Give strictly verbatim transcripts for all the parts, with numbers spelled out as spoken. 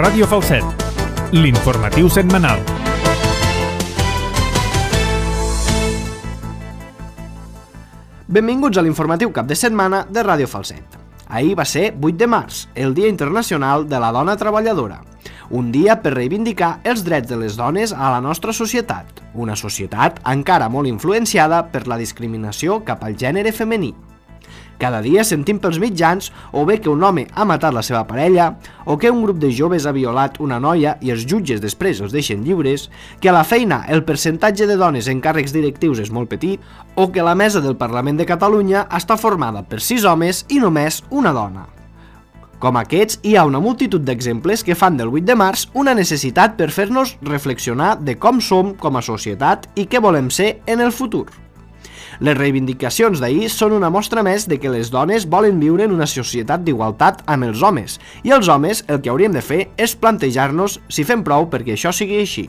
Ràdio Falset, l'informatiu setmanal. Benvinguts a l'informatiu cap de setmana de Ràdio Falset. Ahir va ser vuit de març, el Dia Internacional de la Dona Treballadora. Un dia per reivindicar els drets de les dones a la nostra societat, una societat encara molt influenciada per la discriminació cap al gènere femení. Cada dia sentim pels mitjans o bé que un home ha matat la seva parella, o que un grup de joves ha violat una noia i els jutges després els deixen lliures, que a la feina el percentatge de dones en càrrecs directius és molt petit, o que la mesa del Parlament de Catalunya està formada per sis homes i només una dona. Com aquests, hi ha una multitud d'exemples que fan del vuit de març una necessitat per fer-nos reflexionar de com som com a societat i què volem ser en el futur. Les reivindicacions d'ahir són una mostra més de que les dones volen viure en una societat d'igualtat amb els homes, i els homes el que hauríem de fer és plantejar-nos si fem prou perquè això sigui així.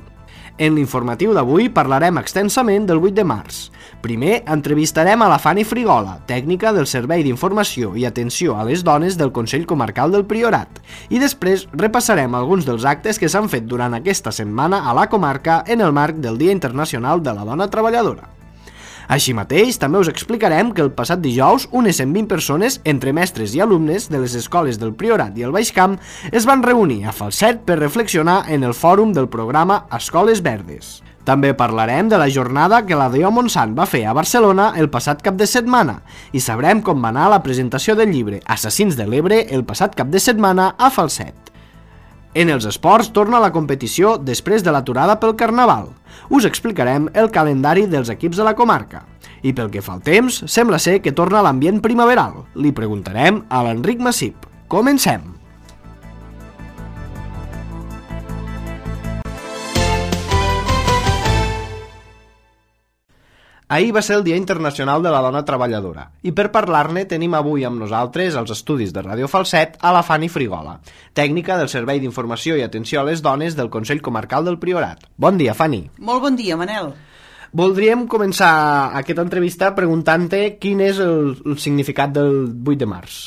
En l'informatiu d'avui parlarem extensament del vuit de març. Primer, entrevistarem a la Fanny Frigola, tècnica del Servei d'Informació i Atenció a les Dones del Consell Comarcal del Priorat, i després repassarem alguns dels actes que s'han fet durant aquesta setmana a la comarca en el marc del Dia Internacional de la Dona Treballadora. Així mateix, també us explicarem que el passat dijous unes cent vint persones, entre mestres i alumnes de les escoles del Priorat i el Baix Camp, es van reunir a Falset per reflexionar en el fòrum del programa Escoles Verdes. També parlarem de la jornada que la D O Montsant va fer a Barcelona el passat cap de setmana i sabrem com va anar la presentació del llibre Assassins de l'Ebre el passat cap de setmana a Falset. En els esports torna la competició després de l'aturada pel Carnaval. Us explicarem el calendari dels equips de la comarca. I pel que fa al temps, sembla ser que torna l'ambient primaveral. Li preguntarem a l'Enric Massip. Comencem! Ahir va ser el Dia Internacional de la Dona Treballadora i per parlar-ne tenim avui amb nosaltres als estudis de Ràdio Falset a la Fanny Frigola, tècnica del Servei d'Informació i Atenció a les Dones del Consell Comarcal del Priorat. Bon dia, Fanny. Molt bon dia, Manel. Voldríem començar aquesta entrevista preguntant-te quin és el, el significat del vuit de març.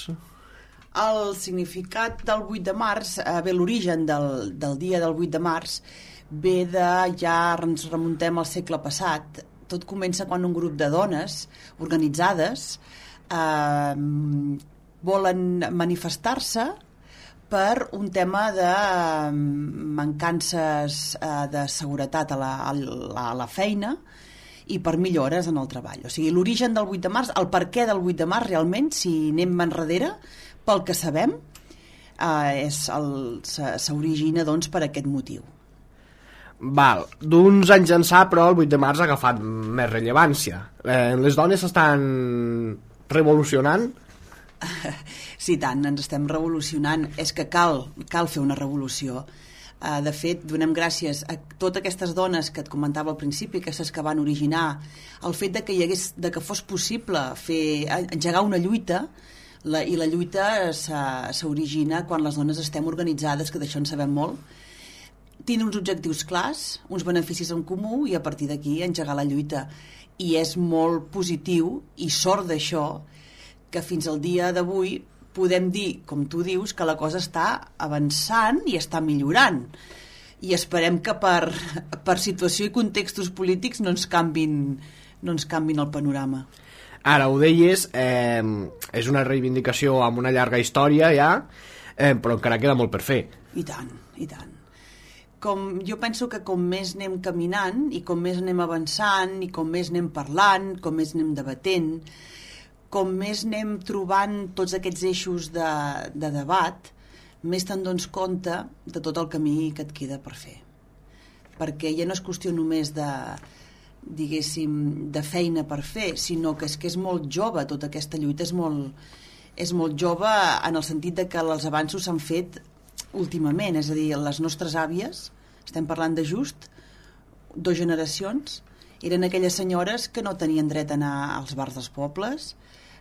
El significat del vuit de març, eh, bé, l'origen del, del dia del vuit de març, ve de, ja ens remuntem al segle passat. Tot comença quan un grup de dones organitzades eh, volen manifestar-se per un tema de mancances eh, de seguretat a la, a, la, a la feina i per millores en el treball. O sigui, l'origen del vuit de març, el perquè del vuit de març realment, si anem enrere, pel que sabem, eh, és el, s'origina doncs, per aquest motiu. Val, d'uns anys ençà, però el vuit de març ha agafat més rellevància. Eh, les dones s'estan revolucionant? Sí, tant, ens estem revolucionant. És que cal, cal fer una revolució. Uh, de fet, donem gràcies a totes aquestes dones que et comentava al principi, aquestes que van originar el fet de que, hi hagués, de que fos possible fer, engegar una lluita, la, i la lluita s'origina quan les dones estem organitzades, que d'això en sabem molt, tindre uns objectius clars, uns beneficis en comú i a partir d'aquí engegar la lluita. I és molt positiu i sort d'això que fins al dia d'avui podem dir, com tu dius, que la cosa està avançant i està millorant. I esperem que per, per situació i contextos polítics no ens canvin, no ens canvin el panorama. Ara ho deies, eh, és una reivindicació amb una llarga història ja, eh, però encara queda molt per fer. I tant, i tant. Com, jo penso que com més anem caminant i com més anem avançant i com més anem parlant, com més anem debatent, com més anem trobant tots aquests eixos de, de debat, més te'n dones compte de tot el camí que et queda per fer. Perquè ja no és qüestió només de, diguéssim, de feina per fer, sinó que és que és molt jove, tota aquesta lluita és molt, és molt jove en el sentit de que els avanços s'han fet últimament, és a dir, les nostres àvies, estem parlant de just dues generacions, eren aquelles senyores que no tenien dret a anar als bars dels pobles,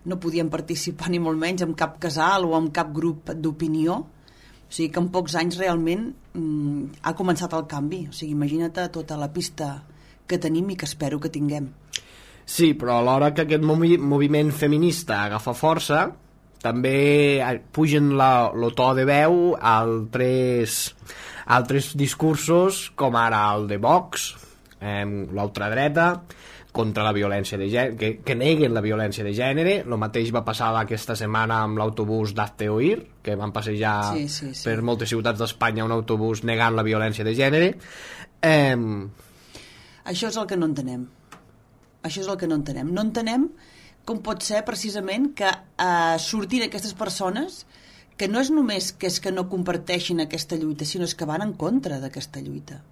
no podien participar ni molt menys en cap casal o en cap grup d'opinió, o sigui que en pocs anys realment mm, ha començat el canvi, o sigui, imagina't tota la pista que tenim i que espero que tinguem. Sí, però a l'hora que aquest movi- moviment feminista agafa força, també pugen la, lo to de veu a altres, altres discursos, com ara el de Vox, eh, l'ultradreta, contra la violència de gènere, que, que neguen la violència de gènere. El mateix va passar aquesta setmana amb l'autobús d'Hazte Oír, que van passejar sí, sí, sí. per moltes ciutats d'Espanya un autobús negant la violència de gènere. Eh... Això és el que no entenem. Això és el que no entenem. No entenem com pot ser precisament que eh, surtin aquestes persones que no és només que és que no comparteixin aquesta lluita, sinó és que van en contra d'aquesta lluita.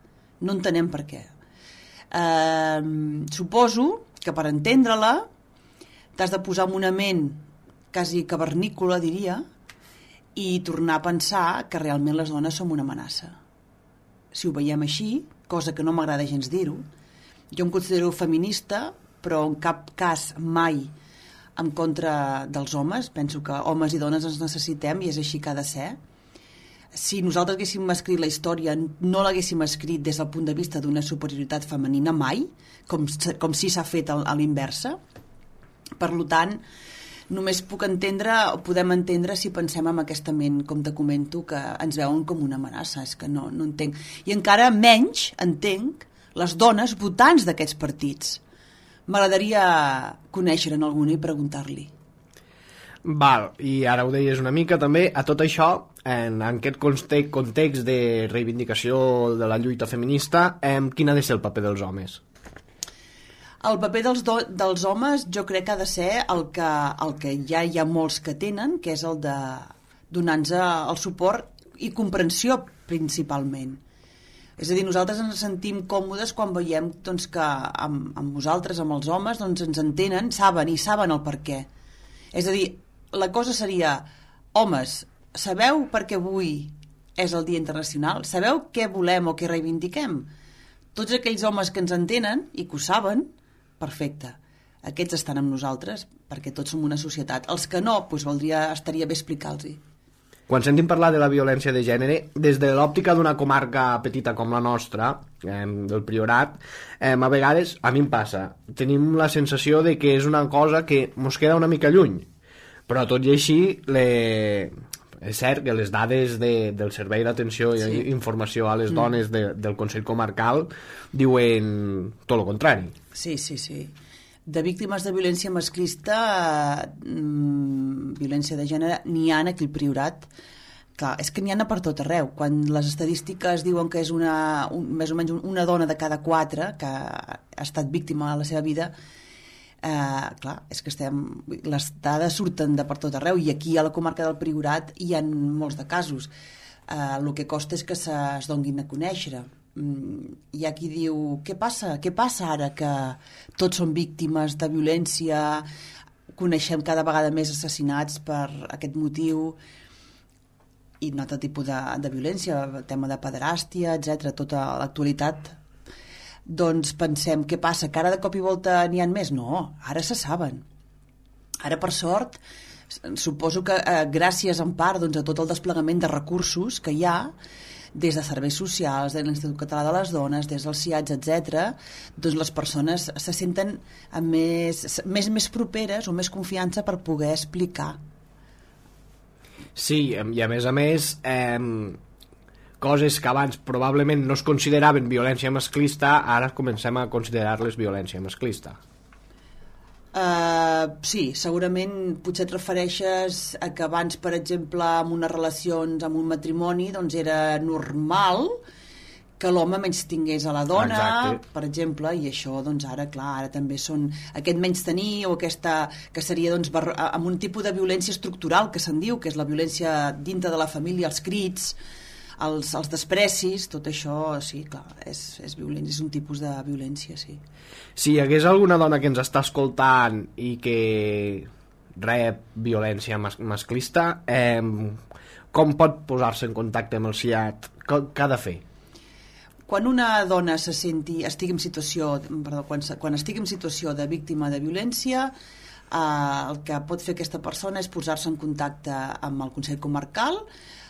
No entenem per què. Eh, suposo que per entendre-la t'has de posar en una ment quasi cavernícola, diria, i tornar a pensar que realment les dones som una amenaça. Si ho veiem així, cosa que no m'agrada gens dir-ho, jo em considero feminista, però en cap cas mai en contra dels homes. Penso que homes i dones ens necessitem i és així que ha de ser. Si nosaltres haguéssim escrit la història, no l'haguéssim escrit des del punt de vista d'una superioritat femenina mai, com, com si s'ha fet a l'inversa. Per tant, només puc entendre, o podem entendre si pensem en aquesta ment, com te comento, que ens veuen com una amenaça. És que no, no entenc. I encara menys entenc les dones votants d'aquests partits. M'agradaria conèixer-en alguna i preguntar-li. Val, i ara ho deies una mica també, a tot això, en, en aquest context de reivindicació de la lluita feminista, eh, quin ha de ser el paper dels homes? El paper dels, do, dels homes jo crec que ha de ser el que, el que ja hi ha molts que tenen, que és el de donar-nos el suport i comprensió principalment. És a dir, nosaltres ens sentim còmodes quan veiem doncs, que amb, amb nosaltres, amb els homes, doncs, ens entenen, saben i saben el per què. És a dir, la cosa seria, homes, sabeu per què avui és el Dia Internacional? Sabeu què volem o què reivindiquem? Tots aquells homes que ens entenen i que ho saben, perfecte. Aquests estan amb nosaltres perquè tots som una societat. Els que no, doncs valdria, estaria bé explicar-los-hi. Quan sentim parlar de la violència de gènere, des de l'òptica d'una comarca petita com la nostra, eh, del Priorat, eh, a vegades, a mi em passa, tenim la sensació de que és una cosa que mos queda una mica lluny, però tot i així, le... és cert que les dades de, del Servei d'Atenció i sí. Informació a les mm. dones de, del Consell Comarcal diuen tot el contrari. Sí, sí, sí. De víctimes de violència masclista, mmm, violència de gènere, n'hi ha aquí al Priorat. Clar, és que n'hi ha per tot arreu. Quan les estadístiques diuen que és una, un, més o menys una dona de cada quatre que ha estat víctima a la seva vida, eh, clar, és que estem, les dades surten de per tot arreu i aquí a la comarca del Priorat hi ha molts de casos. Eh, el que costa és que es donguin a conèixer. Hi ha qui diu, què passa? Què passa ara que tots som víctimes de violència, coneixem cada vegada més assassinats per aquest motiu i un altre tipus de, de violència, el tema de pederàstia, etcètera, tota l'actualitat. Doncs pensem, què passa? Que ara de cop i volta n'hi ha més? No, ara se saben. Ara, per sort, suposo que eh, gràcies en part doncs, a tot el desplegament de recursos que hi ha, des de serveis socials, de l'Institut Català de les Dones, des dels C I A T S, etcètera, doncs les persones se senten més, més, més properes o més confiança per poder explicar. Sí, i a més a més, eh, coses que abans probablement no es consideraven violència masclista, ara comencem a considerar-les violència masclista. Uh, sí, segurament potser et refereixes a que abans, per exemple, amb unes relacions, amb un matrimoni, doncs era normal que l'home menys tingués a la dona, exacte. Per exemple, i això, doncs ara, clar, ara també són aquest menys tenir o aquesta, que seria, doncs, amb un tipus de violència estructural que se'n diu, que és la violència dintre de la família, els crits, els, els desprecis, tot això, sí, clar, és, és violència, és un tipus de violència, sí. Si hi hagués alguna dona que ens està escoltant i que rep violència mas masclista, eh, com pot posar-se en contacte amb el C I A T? Què ha de fer? Quan una dona se senti, estigui en situació, perdó, quan, quan estigui en situació de víctima de violència, eh, el que pot fer aquesta persona és posar-se en contacte amb el Consell Comarcal,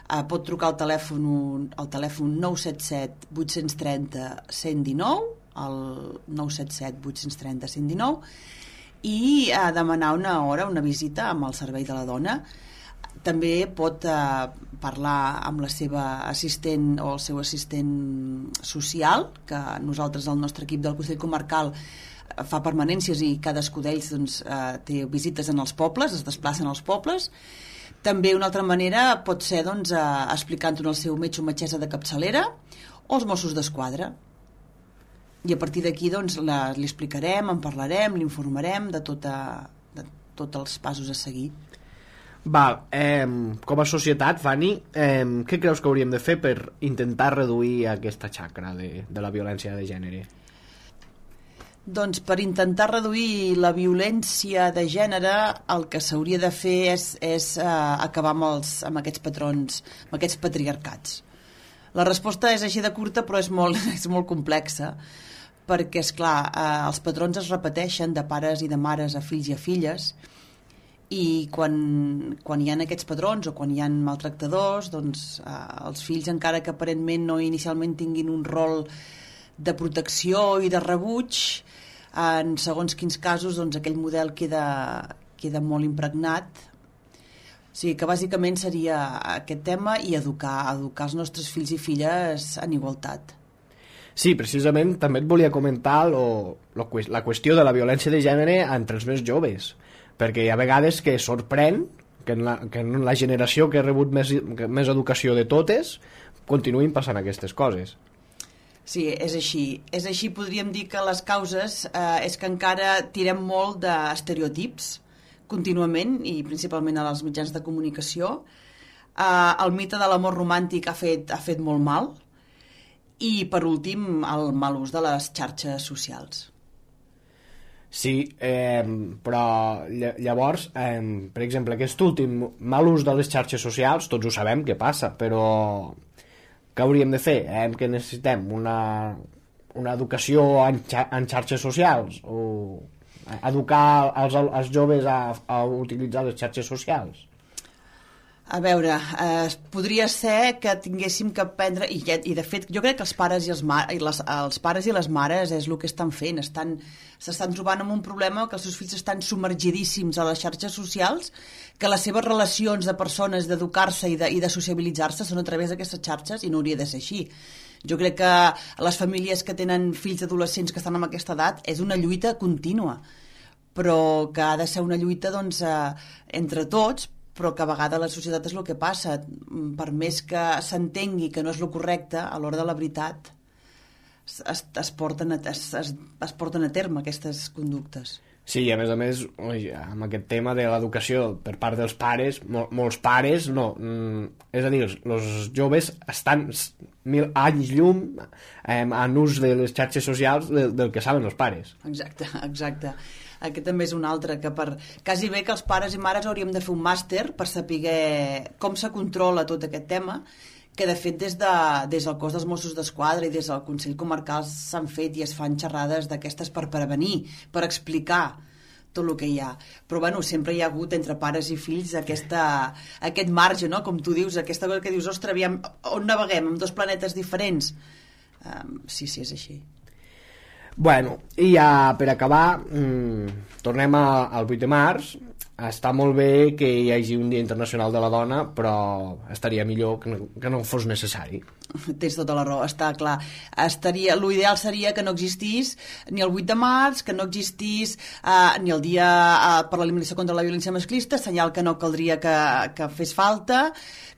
eh, pot trucar al telèfon, al telèfon nou set set vuit tres zero cent i dinou, el nou set set vuit tres zero cent i dinou, i a demanar una hora, una visita amb el servei de la dona. També pot eh, parlar amb la seva assistent o el seu assistent social, que nosaltres, el nostre equip del Consell Comarcal, fa permanències i cadascú d'ells doncs, eh, té visites en els pobles, es desplacen als pobles. També una altra manera pot ser doncs, eh, explicant-ho al seu metge o metgessa de capçalera o els Mossos d'Esquadra. I a partir d'aquí doncs, la, li explicarem, en parlarem, l'informarem de, tota, de tots els passos a seguir. Val, eh, com a societat, Fanny, eh, què creus que hauríem de fer per intentar reduir aquesta xacra de, de la violència de gènere? Doncs per intentar reduir la violència de gènere el que s'hauria de fer és, és eh, acabar amb, els, amb aquests patrons, amb aquests patriarcats. La resposta és així de curta, però és molt, és molt complexa, perquè, esclar, eh, els patrons es repeteixen de pares i de mares a fills i a filles, i quan, quan hi ha aquests patrons o quan hi ha maltractadors, doncs eh, els fills, encara que aparentment no inicialment tinguin un rol de protecció i de rebuig, en segons quins casos doncs, aquell model queda, queda molt impregnat. O sigui que bàsicament seria aquest tema i educar, educar els nostres fills i filles en igualtat. Sí, precisament també et volia comentar lo, lo, la qüestió de la violència de gènere entre els més joves, perquè hi ha vegades que sorprèn que en la, que en la generació que ha rebut més, més educació de totes continuïn passant aquestes coses. Sí, és així. És així, podríem dir que les causes eh, és que encara tirem molt d'estereotips contínuament i principalment als mitjans de comunicació. Eh, el mite de l'amor romàntic ha fet, ha fet molt mal i, per últim, el mal ús de les xarxes socials. Sí, eh, però llavors, eh, per exemple, aquest últim mal ús de les xarxes socials, tots ho sabem què passa, però què hauríem de fer? Eh, que necessitem una, una educació en, xa en xarxes socials o educar els, els joves a, a utilitzar les xarxes socials? A veure, eh, podria ser que tinguéssim que aprendre, i, i de fet jo crec que els pares i, els, ma i les, els pares i les mares és el que estan fent, estan s'estan trobant amb un problema que els seus fills estan submergidíssims a les xarxes socials, que les seves relacions de persones, d'educar-se i de, i de sociabilitzar-se són a través d'aquestes xarxes i no hauria de ser així. Jo crec que les famílies que tenen fills adolescents que estan en aquesta edat és una lluita contínua, però que ha de ser una lluita doncs, eh, entre tots, però que a vegades la societat és el que passa. Per més que s'entengui que no és el correcte, a l'hora de la veritat es, es, porten a, es, es, es porten a terme aquestes conductes. Sí, i a més a més, oi, amb aquest tema de l'educació per part dels pares, mol, molts pares no, mm, és a dir, els joves estan mil anys llum eh, en ús de les xarxes socials del, del que saben els pares. Exacte, exacte. Aquest també és un altre, que per quasi bé que els pares i mares hauríem de fer un màster per saber com se controla tot aquest tema, que de fet des, de, des del cos dels Mossos d'Esquadra i des del Consell Comarcal s'han fet i es fan xerrades d'aquestes per prevenir, per explicar tot el que hi ha. Però bueno, sempre hi ha hagut entre pares i fills aquesta, aquest marge, no? Com tu dius, aquesta cosa que dius, ostres, aviam, on naveguem? Amb dos planetes diferents? Um, sí, sí, és així. Bueno, i ja per acabar, mmm, tornem a, al vuit de març. Està molt bé que hi hagi un Dia Internacional de la Dona, però estaria millor que no, que no fos necessari. Tens tota la raó, està clar. Estaria, l'ideal seria que no existís ni el vuit de març, que no existís eh, ni el Dia eh, per l'eliminació contra la violència masclista, senyal que no caldria que, que fes falta,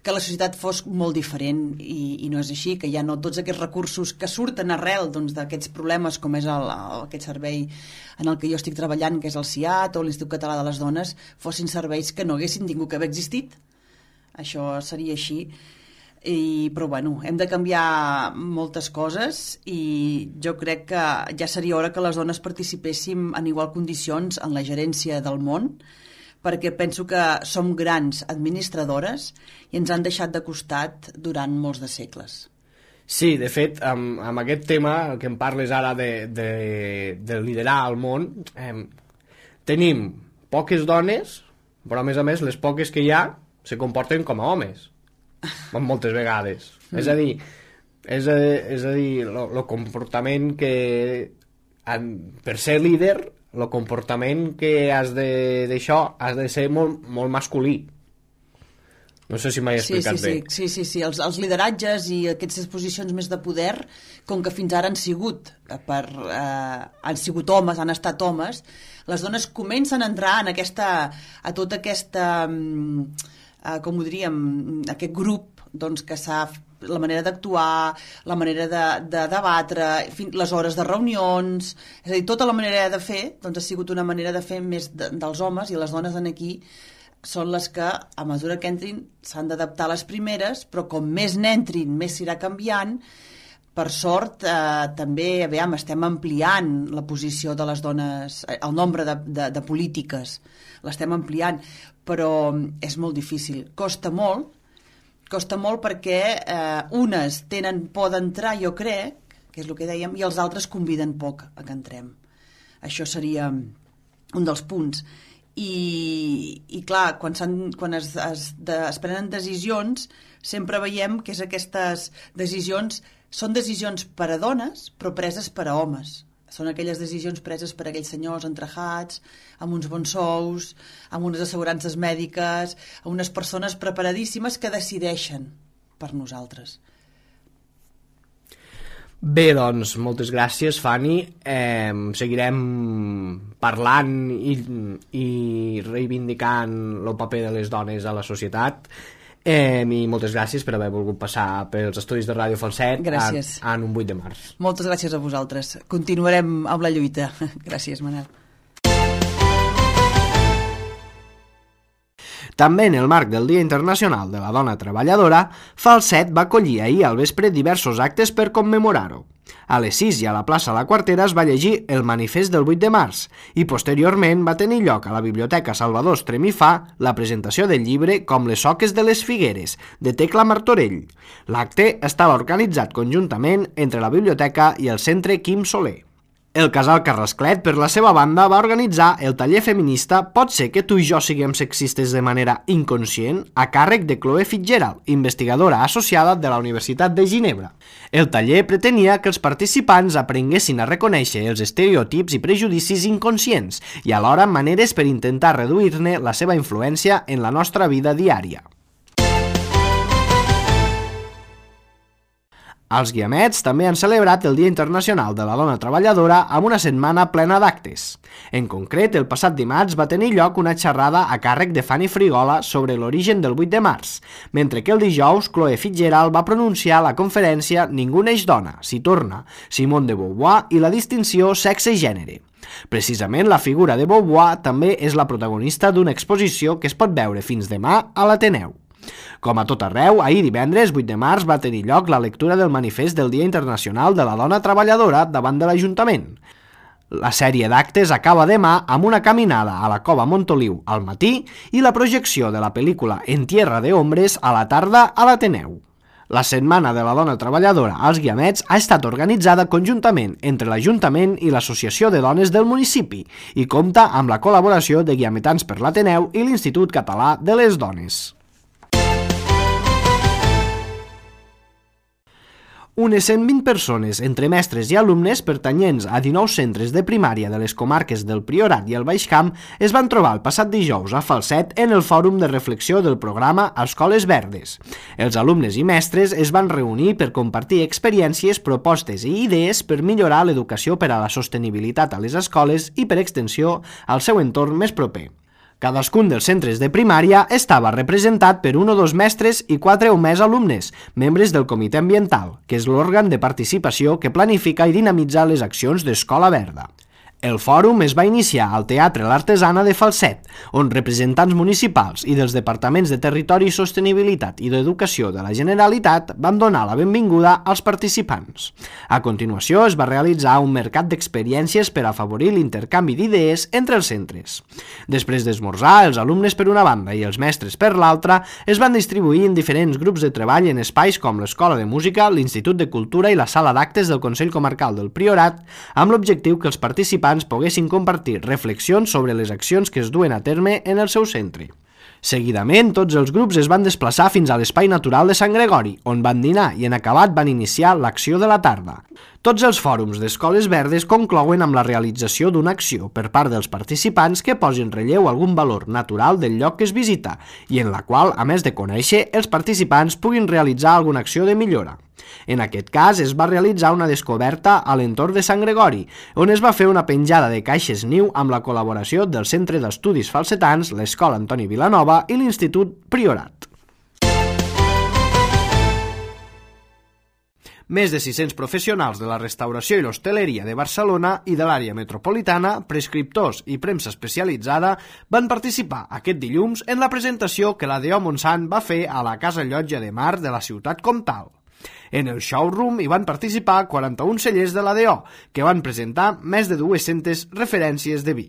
que la societat fos molt diferent i, i no és així, que ja no tots aquests recursos que surten arrel doncs, d'aquests problemes com és el, el, aquest servei en el que jo estic treballant, que és el C I A T o l'Institut Català de les Dones, fossin serveis que no haguessin tingut que haver existit. Això seria així. I, però bueno, hem de canviar moltes coses i jo crec que ja seria hora que les dones participéssim en igual condicions en la gerència del món, perquè penso que som grans administradores i ens han deixat de costat durant molts de segles. Sí, de fet, amb, amb aquest tema, el que em parles ara de, de, de liderar el món, eh, tenim poques dones, però a més a més les poques que hi ha se comporten com a homes, moltes vegades. Mm. És a dir, és a, és a dir, el comportament que, en, per ser líder, el comportament que has de d'això has de ser molt, molt masculí. No sé si m'he explicat sí, sí, bé. Sí, sí, sí, sí. Els, els lideratges i aquestes posicions més de poder, com que fins ara han sigut, per, eh, han sigut homes, han estat homes, les dones comencen a entrar en aquesta, a tota aquesta, eh, com ho diríem, aquest grup doncs, que s'ha la manera d'actuar, la manera de, de debatre, les hores de reunions, és a dir, tota la manera de fer doncs, ha sigut una manera de fer més de, dels homes, i les dones en aquí són les que, a mesura que entrin, s'han d'adaptar a les primeres, però com més n'entrin, més s'irà canviant. Per sort, eh, també, aviam, estem ampliant la posició de les dones, el nombre de, de, de polítiques, l'estem ampliant, però és molt difícil. Costa molt, costa molt perquè eh, unes tenen por d'entrar, jo crec, que és el que dèiem, i els altres conviden poc a que entrem. Això seria un dels punts. I, i clar, quan, quan es, es, de, es prenen decisions sempre veiem que és aquestes decisions són decisions per a dones però preses per a homes, són aquelles decisions preses per a aquells senyors entrejats amb uns bons sous, amb unes assegurances mèdiques, amb unes persones preparadíssimes que decideixen per nosaltres. Bé, doncs, moltes gràcies, Fanny. Eh, seguirem parlant i, i reivindicant el paper de les dones a la societat. Eh, I moltes gràcies per haver volgut passar pels estudis de Ràdio Falset en, en un vuit de març. Moltes gràcies a vosaltres. Continuarem amb la lluita. Gràcies, Manel. També en el marc del Dia Internacional de la Dona Treballadora, Falset va acollir ahir al vespre diversos actes per commemorar-ho. A les sis i a la plaça La Quartera es va llegir el manifest del vuit de març i posteriorment va tenir lloc a la Biblioteca Salvador Estremifà la presentació del llibre Com les soques de les figueres, de Tecla Martorell. L'acte estava organitzat conjuntament entre la biblioteca i el Centre Quim Soler. El Casal Carrasclet, per la seva banda, va organitzar el taller feminista Pot ser que tu i jo siguem sexistes de manera inconscient, a càrrec de Chloe Fitzgerald, investigadora associada de la Universitat de Ginebra. El taller pretenia que els participants aprenguessin a reconèixer els estereotips i prejudicis inconscients i alhora maneres per intentar reduir-ne la seva influència en la nostra vida diària. Els Guiamets també han celebrat el Dia Internacional de la Dona Treballadora amb una setmana plena d'actes. En concret, el passat dimarts va tenir lloc una xerrada a càrrec de Fanny Frigola sobre l'origen del vuit de març, mentre que el dijous Chloe Fitzgerald va pronunciar la conferència Ningú neix dona, s'hi torna, Simone de Beauvoir i la distinció sexe-gènere. Precisament la figura de Beauvoir també és la protagonista d'una exposició que es pot veure fins demà a l'Ateneu. Com a tot arreu, ahir divendres, vuit de març, va tenir lloc la lectura del manifest del Dia Internacional de la Dona Treballadora davant de l'Ajuntament. La sèrie d'actes acaba demà amb una caminada a la Cova Montoliu al matí i la projecció de la pel·lícula En tierra de hombres a la tarda a l'Ateneu. La Setmana de la Dona Treballadora als Guiamets ha estat organitzada conjuntament entre l'Ajuntament i l'Associació de Dones del municipi i compta amb la col·laboració de Guiametans per l'Ateneu i l'Institut Català de les Dones. Unes cent vint persones, entre mestres i alumnes pertanyents a dinou centres de primària de les comarques del Priorat i el Baix Camp, es van trobar el passat dijous a Falset en el fòrum de reflexió del programa Escoles Verdes. Els alumnes i mestres es van reunir per compartir experiències, propostes i idees per millorar l'educació per a la sostenibilitat a les escoles i, per extensió, al seu entorn més proper. Cadascun dels centres de primària estava representat per un o dos mestres i quatre o més alumnes, membres del Comitè Ambiental, que és l'òrgan de participació que planifica i dinamitza les accions d'Escola Verda. El fòrum es va iniciar al Teatre L'Artesana de Falset, on representants municipals i dels Departaments de Territori i Sostenibilitat i d'Educació de la Generalitat van donar la benvinguda als participants. A continuació es va realitzar un mercat d'experiències per afavorir l'intercanvi d'idees entre els centres. Després d'esmorzar, els alumnes per una banda i els mestres per l'altra es van distribuir en diferents grups de treball en espais com l'Escola de Música, l'Institut de Cultura i la Sala d'Actes del Consell Comarcal del Priorat, amb l'objectiu que els participants poguessin compartir reflexions sobre les accions que es duen a terme en el seu centre. Seguidament, tots els grups es van desplaçar fins a l'Espai Natural de Sant Gregori, on van dinar i en acabat van iniciar l'acció de la tarda. Tots els fòrums d'Escoles Verdes conclouen amb la realització d'una acció per part dels participants que posi en relleu algun valor natural del lloc que es visita i en la qual, a més de conèixer, els participants puguin realitzar alguna acció de millora. En aquest cas es va realitzar una descoberta a l'entorn de Sant Gregori, on es va fer una penjada de caixes niu amb la col·laboració del Centre d'Estudis Falsetans, l'Escola Antoni Vilanova i l'Institut Priorat. Més de sis-cents professionals de la restauració i l'hostaleria de Barcelona i de l'àrea metropolitana, prescriptors i premsa especialitzada van participar aquest dilluns en la presentació que la D O Montsant va fer a la Casa Llotja de Mar de la ciutat comtal. En el showroom hi van participar quaranta-un cellers de la D O, que van presentar més de dues-centes referències de vi.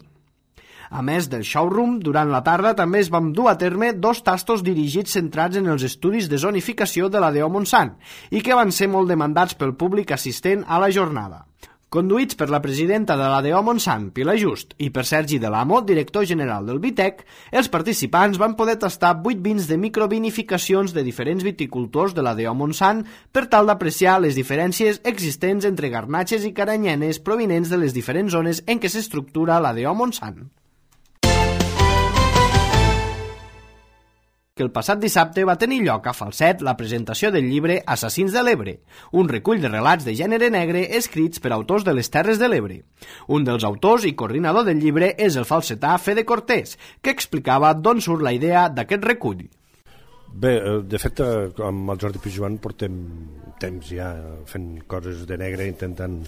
A més del showroom, durant la tarda també es van dur a terme dos tastos dirigits centrats en els estudis de zonificació de la D O Montsant i que van ser molt demandats pel públic assistent a la jornada. Conduïts per la presidenta de la D O Montsant, Pilar Just, i per Sergi Delamo, director general del Vitec, els participants van poder tastar vuit vins de microvinificacions de diferents viticultors de la D O Montsant per tal d'apreciar les diferències existents entre garnatxes i caranyenes provinents de les diferents zones en què s'estructura la D O Montsant. Que el passat dissabte va tenir lloc a Falset la presentació del llibre Assassins de l'Ebre, un recull de relats de gènere negre escrits per autors de les Terres de l'Ebre. Un dels autors i coordinador del llibre és el falsetà Fede Cortés, que explicava d'on surt la idea d'aquest recull. Bé, de fet, amb el Jordi Pijuan portem temps ja fent coses de negre, intentant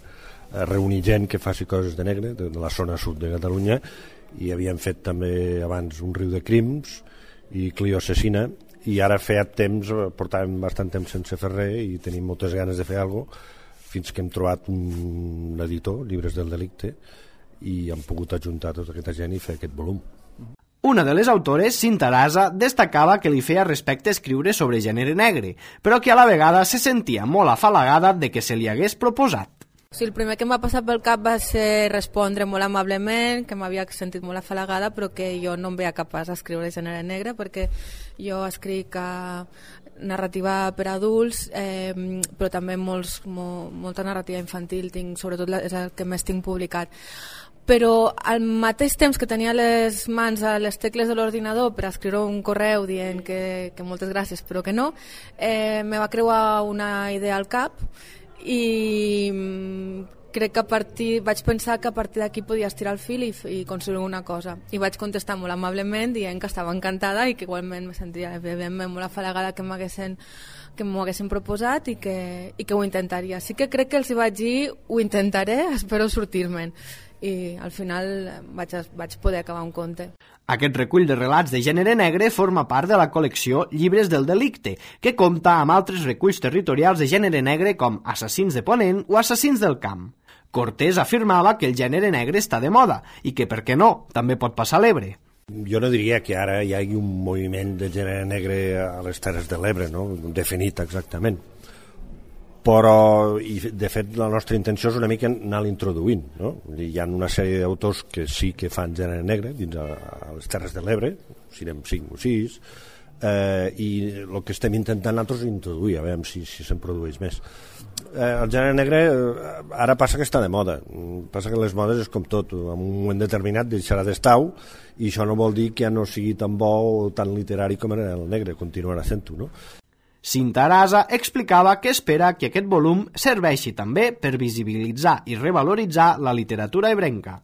reunir gent que faci coses de negre, de la zona sud de Catalunya, i havíem fet també abans un riu de crims, i Clio Assassina, i ara feia temps, portàvem bastant temps sense fer res i tenim moltes ganes de fer alguna cosa, fins que hem trobat un editor, Llibres del Delicte, i hem pogut ajuntar tota aquesta gent i fer aquest volum. Una de les autores, Cinta Arasa, destacava que li feia respecte escriure sobre gènere negre, però que a la vegada se sentia molt afalagada de que se li hagués proposat. Sí, el primer que em va passar pel cap va ser respondre molt amablement, que m'havia sentit molt afalagada, però que jo no em veia capaç d'escriure gènere negre, perquè jo escric a narrativa per adults, eh, però també molts, molt, molta narrativa infantil, tinc, sobretot és el que més tinc publicat. Però al mateix temps que tenia les mans a les tecles de l'ordinador per escriure un correu dient que, que moltes gràcies però que no, eh, me va creuar una idea al cap i crec que a partir, vaig pensar que a partir d'aquí podia estirar el fil i, i construir una cosa, i vaig contestar molt amablement dient que estava encantada i que igualment me sentia evidentment molt afalagada que m'haguessin que m'ho haguessin proposat i que, i que ho intentaria. Sí que crec que els hi vaig dir ho intentaré, espero sortir-me'n, i al final vaig, vaig poder acabar un conte. Aquest recull de relats de gènere negre forma part de la col·lecció Llibres del Delicte, que compta amb altres reculls territorials de gènere negre com Assassins de Ponent o Assassins del Camp. Cortés afirmava que el gènere negre està de moda i que, per què no, també pot passar a l'Ebre. Jo no diria que ara hi hagi un moviment de gènere negre a les Terres de l'Ebre, no? Definit exactament. Però, i de fet, la nostra intenció és una mica anar-la introduint, no? Hi ha una sèrie d'autors que sí que fan gènere negre dins a, a les Terres de l'Ebre, si anem cinc o sis, eh, i el que estem intentant nosaltres és introduir, a veure si, si se'n produeix més. Eh, el gènere negre eh, ara passa que està de moda, passa que les modes és com tot, en un moment determinat deixarà d'estar-ho, i això no vol dir que ja no sigui tan bo o tan literari com era el negre, continuarà sent-ho, no? Cinta Arasa explicava que espera que aquest volum serveixi també per visibilitzar i revaloritzar la literatura ebrenca.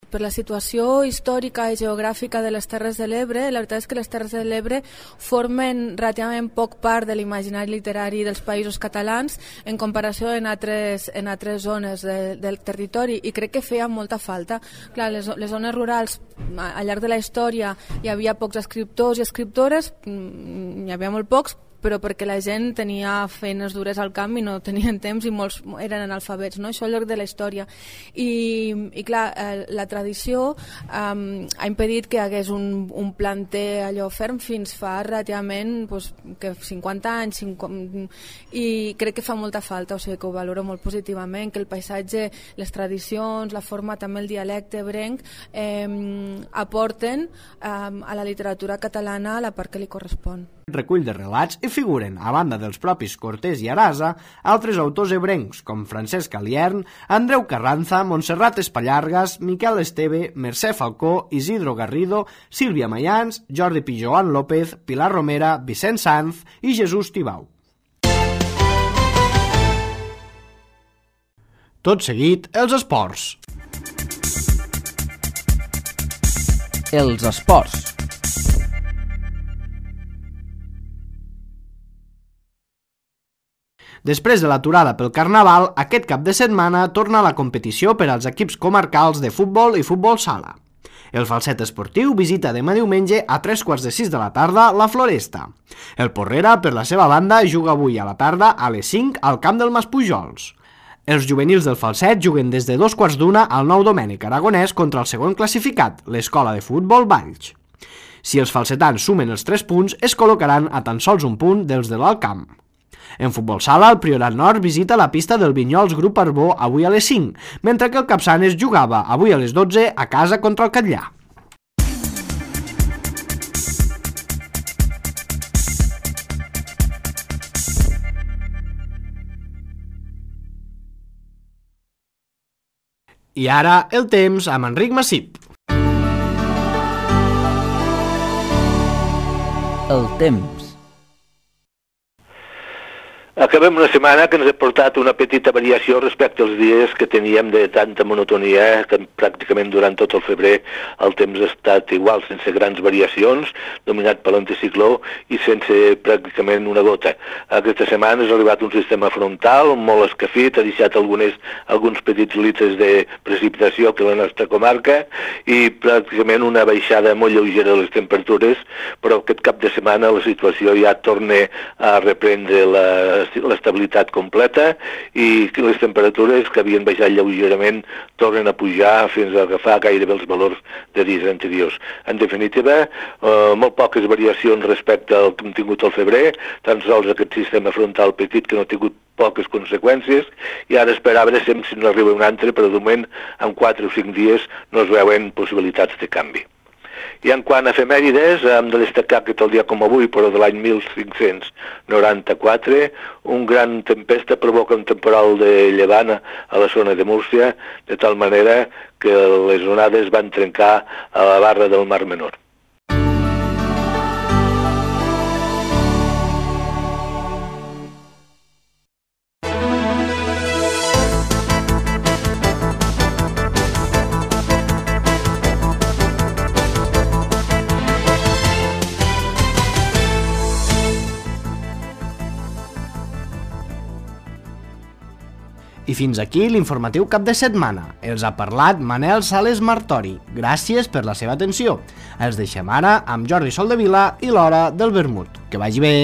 Per la situació històrica i geogràfica de les Terres de l'Ebre, la veritat és que les Terres de l'Ebre formen relativament poc part de l'imaginari literari dels països catalans en comparació en altres, en altres zones de, del territori, i crec que feia molta falta. Clar, les, les zones rurals, al llarg de la història hi havia pocs escriptors i escriptores, n'hi havia molt pocs, però perquè la gent tenia feines dures al camp i no tenien temps i molts eren analfabets, no? Això al llarg de la història. I, i clar, eh, la tradició eh, ha impedit que hi hagués un, un planter allò ferm fins fa relativament pues, que cinquanta anys, cinquanta, i crec que fa molta falta, o sigui que ho valoro molt positivament, que el paisatge, les tradicions, la forma, també el dialecte ebrenc eh, aporten eh, a la literatura catalana la part que li correspon. recull de relats hi figuren, a banda dels propis Cortés i Arasa, altres autors ebrencs com Francesc Aliern, Andreu Carranza, Montserrat Espallargas, Miquel Esteve, Mercè Falcó, Isidro Garrido, Sílvia Mayans, Jordi Pijoan López, Pilar Romera, Vicent Sanz i Jesús Tibau. Tot seguit, els esports. Els esports. Després de l'aturada pel Carnaval, aquest cap de setmana torna la competició per als equips comarcals de futbol i futbol sala. El Falset Esportiu visita demà diumenge a tres quarts de sis de la tarda la Floresta. El Porrera, per la seva banda, juga avui a la tarda a les cinc al camp del Maspujols. Els juvenils del Falset juguen des de dos quarts d'una al Nou Domènec Aragonès contra el segon classificat, l'Escola de Futbol Valls. Si els falsetans sumen els tres punts, es col·locaran a tan sols un punt dels de l'Alt Camp. En futbol sala, el Priorat Nord visita la pista del Vinyols Grup Arbó avui a les cinc, mentre que el Capçanes jugava avui a les dotze a casa contra el Catllà. I ara el temps amb Enric Massip. El temps. Acabem una setmana que ens ha portat una petita variació respecte als dies que teníem de tanta monotonia, que pràcticament durant tot el febrer el temps ha estat igual, sense grans variacions, dominat per l'anticicló i sense pràcticament una gota. Aquesta setmana ha arribat un sistema frontal molt escafit, ha deixat algunes, alguns petits litres de precipitació que la nostra comarca i pràcticament una baixada molt lleugera de les temperatures, però aquest cap de setmana la situació ja torna a reprendre la l'estabilitat completa i les temperatures que havien baixat lleugerament tornen a pujar fins a agafar gairebé els valors de dies anteriors. En definitiva, eh, molt poques variacions respecte al que hem tingut al febrer, tan sols aquest sistema frontal petit que no ha tingut poques conseqüències i ara esperar a veure si no arriba un altre, però de moment en quatre o cinc dies no es veuen possibilitats de canvi. I en quant a efemèrides, hem de destacar que tal dia com avui, però de l'any mil cinc-cents noranta-quatre, un gran tempesta provoca un temporal de llevant a la zona de Múrcia, de tal manera que les onades van trencar a la barra del Mar Menor. I fins aquí l'informatiu cap de setmana. Els ha parlat Manel Sales Martori. Gràcies per la seva atenció. Els deixem ara amb Jordi Soldevila i l'Hora del Vermut. Que vagi bé!